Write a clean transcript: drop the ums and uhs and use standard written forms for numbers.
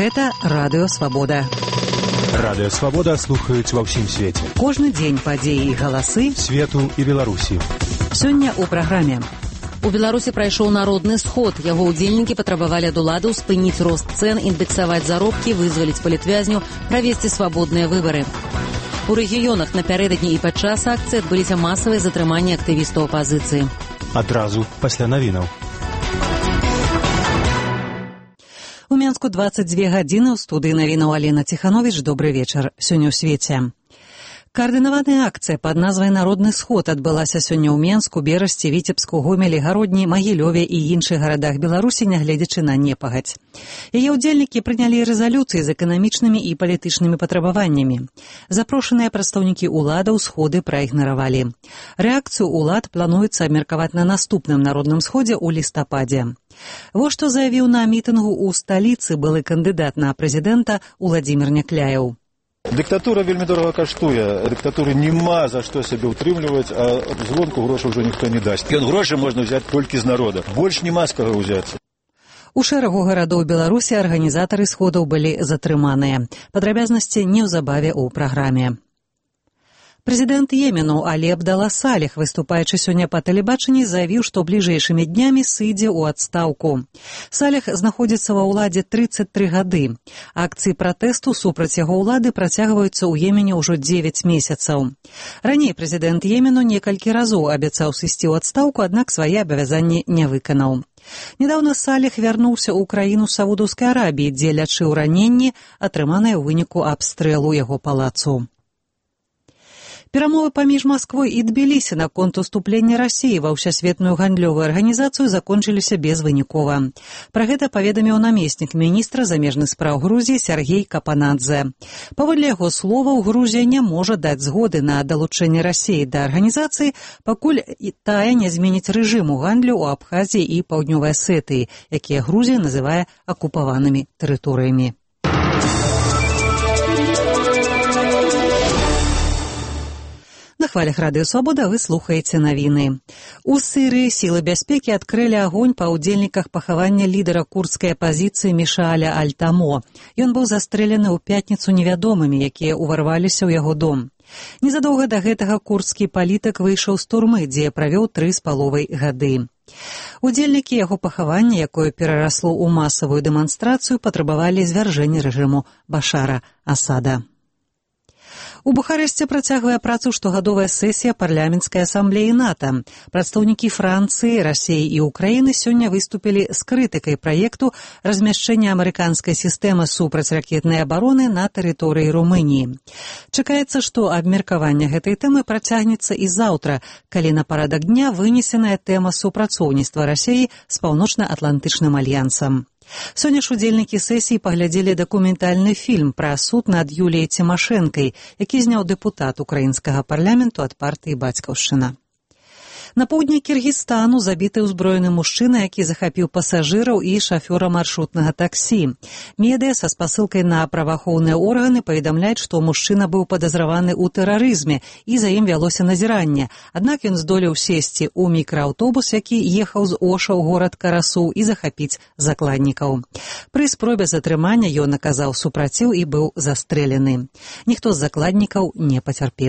Гэта Радыё Свабода. Радыё Свабода слухаюць ва ўсім свеце. Кожны дзень падзеі і галасы свету і Беларусі. Сёння ў праграме. У Беларусі прайшоў народны сход. Яго ўдзельнікі патрабавалі ад уладаў спыніць рост цэн, індэксаваць заробкі, вызваліць палітвязню, правесці свабодныя выбары. У рэгіёнах напярэдадні і падчас акцыі адбыліся масавыя затрыманні актывістаў апазіцыі. Адразу пасля навінаў. У Менску 22 гадзіны. У студыі навінаў Алена Ціхановіч. Добры вечар. Сёння ў свеце. Каардынаваная акцыя пад назвай «Народны сход» адбылася сёння ў Менску, Берасці, Віцебску, Гомелі, Гародні, Магілёве і іншых гарадах Беларусі, нягледзячы на непагадзь. Яе ўдзельнікі прынялі рэзалюцыі з эканамічнымі і палітычнымі патрабаваннямі. Запрошаныя прадстаўнікі ўладаў сходы праігнаравалі. Рэакцыю ўлад плануецца абмеркаваць на наступным народным сходзе ў лістападзе. Вось што заявіў на мітынгу ў сталіцы былы кандыдат на прэзідэнта Уладзімір Някляеў. Дыктатура вельмі дорага каштуе. Дыктатуры няма за што сябе ўтрымліваць, а звонку грошай ўжо ніхто не дасць. Ён грошы можна взяць толькі з народа. Больш няма з каго ўзяцца. У шэрагу гарадоў Беларусі арганізатары сходаў былі затрыманыя. Падрабязнасці неўзабаве ў праграме. Прэзідэнт Йемену Алі Абдала Салех, выступаючы сёння па тэлебачанні, заявіў, што бліжэйшымі днямі сыдзе ў адстаўку. Салех знаходзіцца ва ўладзе 33 гады. Акцыі пратэсту супраць яго ўлады працягваюцца ў Йемене ўжо 9 месяцаў. Раней прэзідэнт Йемену некалькі разоў абяцаў сысці ў адстаўку, аднак свае абавязанні не выканаў. Нядаўна Салех вярнуўся ў краіну Саудаўскай Арабіі, дзе лячыў раненні, атрыманыя ў выніку абстрэлу яго палацу. Перамовы паміж Масквой і Тбілісі наконт уступлення Расіі ва ўсесветную гандлёвую арганізацыю закончыліся безвынікова. Пра гэта паведаміў намеснік міністра замежных спраў Грузіі Сергей Капанадзе. Паводле яго словаў, Грузія не можа даць згоды на далучэнне Расіі да арганізацыі, пакуль тая не зменіць рэжым у гандлю ў Абхазіі і Паўднёвай Асетыі, якія Грузія называе акупаванымі тэрыторыямі. На хвалях Радыё Свабода вы слухаеце навіны. У Сірыі сілы бяспекі адкрылі агонь па ўдзельніках пахавання лідара курдскай апазіцыі Мішаля Аль-Тамо. Ён быў застрэлены ў пятніцу невядомымі, якія ўварваліся ў яго дом. Незадоўга да гэтага курдскі палітык выйшаў з турмы, дзе правёў 3,5 гады. Удзельнікі яго пахавання, якое перарасло ў масавую дэманстрацыю, патрабавалі звяржэння рэжыму Башара Асада. У Бухарэсце працягвае працу штогадовая сесія парламенцкай асамблеі НАТО. Прадстаўнікі Францыі, Расіі і Украіны сёння выступілі з крытыкай праекту размяшчэння амерыканскай сістэмы супрацьракетнай абароны на тэрыторыі Румыніі. Чакаецца, што абмеркаванне гэтай тэмы працягнецца і заўтра, калі на парадак дня вынесеная тэма супрацоўніцтва Расіі з Паўночна-Атлантычным альянсам. Сёння ж удзельнікі сесіі паглядзелі дакументальны фільм пра суд над Юліяй Цімашэнкай, які зняў дэпутат украінскага парламенту ад партыі «Бацькаўшчына». На поўдні Кіргізстану забіты ўзброены мужчына, які захапіў пасажыраў і шафёра маршрутнага таксі. Медыя са спасылкай на праваахоўныя органы паведамляюць, што мужчына быў падазраваны ў тэрарызме і за ім вялося назіранне. Аднак ён здолеў сесці ў мікрааўтобус, які ехаў з Оша ў горад Карасу, і захапіць закладнікаў. Пры спробе затрымання ён аказаў супраціў і быў застрэлены. Ніхто з закладнікаў не пацярпеў.